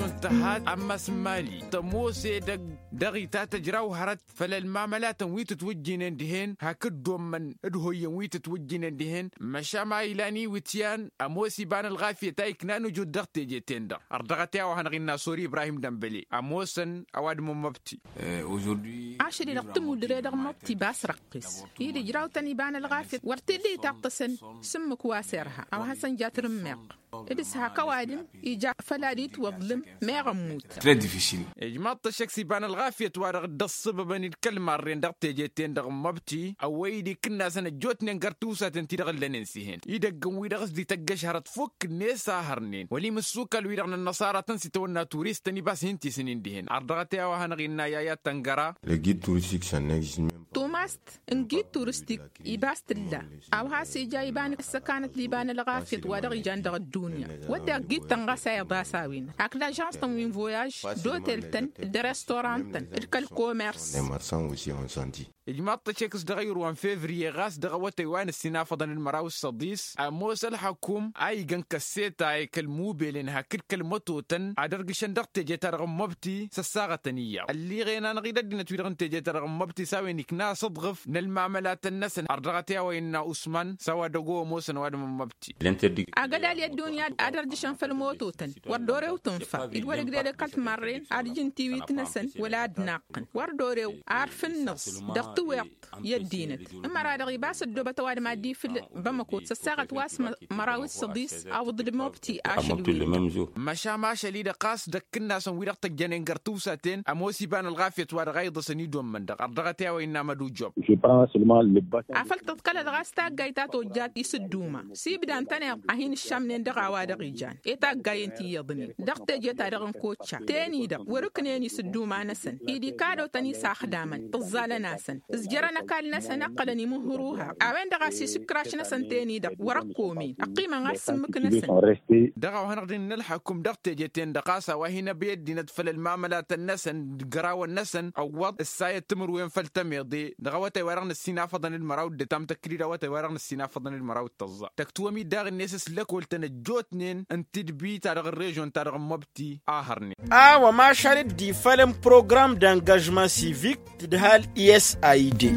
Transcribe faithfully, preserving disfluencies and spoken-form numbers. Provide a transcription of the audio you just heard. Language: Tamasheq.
Tăhat ammas n-mali tămoos edăgg dăɣ-itatăjraw hărăt făll-ălmamălatăn wi tǝtwǝjjǝynen dihen hakd dd-ommăn d-hoyyăn wi tǝtwǝjjǝynen dihen. Măšan ma ilan iwǝtyan ămoos iba n-ălɣafyăt a iknan ǝjud dăɣ-teje-ten-dăɣ ărdăɣăt i-a-wa hanăɣ-innă sori ibrahim dămbăle ămoosăn ăwadǝm n-măbti. Ašăl-i-dăɣ tǝmudre dăɣ-măbti bas răqqis-i d-ǝjraw-tăn iba n-ălɣafyăt wăr t-illa itaṭṭăsăn. S-ǝmmǝk wa s-irha a-wa hasăn-ja tǝrǝmmeɣ d-ǝshak ăwadǝm ija făll-ad-itwăḍ lǝm meɣ ămmut. Ijmaḍ-t ăššăk s-iba n-ălɣafyăt-wa-dăɣ dd-ăṣṣăbăbăn-dd kăl-marren dăɣ-teje-ten-dăɣ n-măbti ăwwăy-dd ikǝnnasăn ăjjootnen găr tiwsaten-ti-dăɣ ǝllănen s-ih'-en idăgg n-wi-dăɣ s-dd-ităggăš hărăt fukk-net a hărnen wăla imǝssukal-wi-dăɣ n-ănnăṣara tăn-s itawănna turist-tăn ibas hin-tisǝnin dihen ardăɣăt i-a-wa hanăɣ-innă i-ad-tăngăra. Tumast n-gid turistik ibas tǝlla a-wa has-ija iba n-ăssăkanăt d-iba n-ălɣafyăt wa dăɣ-ijan dăɣ-ăddunya wădden ăgg-ittăn ɣas a iḍas a-wen hakd ažans-tăn wi n-voyaž d-otel-tăn d-restorant-tăn d-kăl-komers. Ijmaḍ-t ăššek s-dăɣ-ayǝrwa n-fevriye ɣas dăɣ-awătay wa n-ǝssinafăḍăn d-măraw s-săḍis ămoos ălxăkum a igăn kăsseta i-kăl-mubelen hakd kăl-mătotăn ad-ărgǝšăn dăɣ-teje-ta-dăɣ n-măbti s-ăssaɣătăn iyyăḍ ălliɣen-anăɣ-dd ăddinăt-wi-dăɣ n-teje-ta-dăɣ n-măbti s-a-wen ikna asǝḍɣǝf n-ălmamălatăn-năsăn har dăɣ-t i-a-wa innă usman s-a-wa dăgg-o ămoosăn ăwadǝm n-măbti. Agălal i-ăddunya ad-ărjǝšăn făll-mototăn wăr dd-orew tǝnfa-dd wăr-ǝgded ăkall timarren ad-ǝjǝn tiwit-năsăn wăla ad-naqqăn wăr dd-orew arf ǝnnǝẓ dăɣ-tǝweḍt i-ăddinăt. Ǝmmăra-dăɣ ibas ăddoobăt ăwadǝm ad-dd-ifǝl bămăko s-ăssaɣăt wa s-măraw d-săḍis awǝḍ d-mobti ašăl-wi-dăɣ. Măšan ašăl-i-dăɣ ɣas d-ăkkǝnnasăn wi-dăɣ tăjjănen găr tiwsaten ămoos iba n-ălɣafyăt wa dăɣ-a iḍăsăn idommăn-dăɣ ărdăɣăt i-a-wa innă mădujjob. Afăl tǝḍkălăt ɣas taggayt ta tojjat isǝdduma s-ibda ǝntăneḍ a hin-ǝššamnen dăɣ-a-wa dăɣ-ijan i-taggayen ti iyyăḍnen dăɣ-teje-ta-dăɣ n-kocca ten-i-dăɣ wăr-ǝknen isǝdduma-năsăn-i d-ikadotăn isaxdamăn tǝẓẓalăn-asăn ǝzjărăn ăkall-năsăn ǝqqălăn imǝhhǝr uhaɣ. A-wen-dăɣ a-s isǝkraš-năsăn ten-i-dăɣ wăr-ăkkomen ăqqimăn ɣas s-ǝmmǝk-năsăn. Dăɣ-a-wa hanăɣ-dd-innă ălxăkum dăɣ-teje-ten-dăɣ ɣas a-wa hin-ăbey ăddinăt făll-ălmamălatăn-năsăn d-gărawăn-năsăn ăwwăḍ ǝssayăt timǝrwen făll-tămeḍe dăɣ-awătay wa dăɣ-năssinafăḍăn d-măraw d-ătam tăkdid awătay wa dăɣ-năssinafăḍăn d-măraw d-tăẓẓa tăktǝwăm-dd daɣ-net s-lăkol-tăn ăjjootnen n-tidbi-ta-dăɣ n-režon-ta-dăɣ n-măbti a hărnen. A-wa mašal dd-ifălăn program d-angažman sivik d-hal i-s a ide.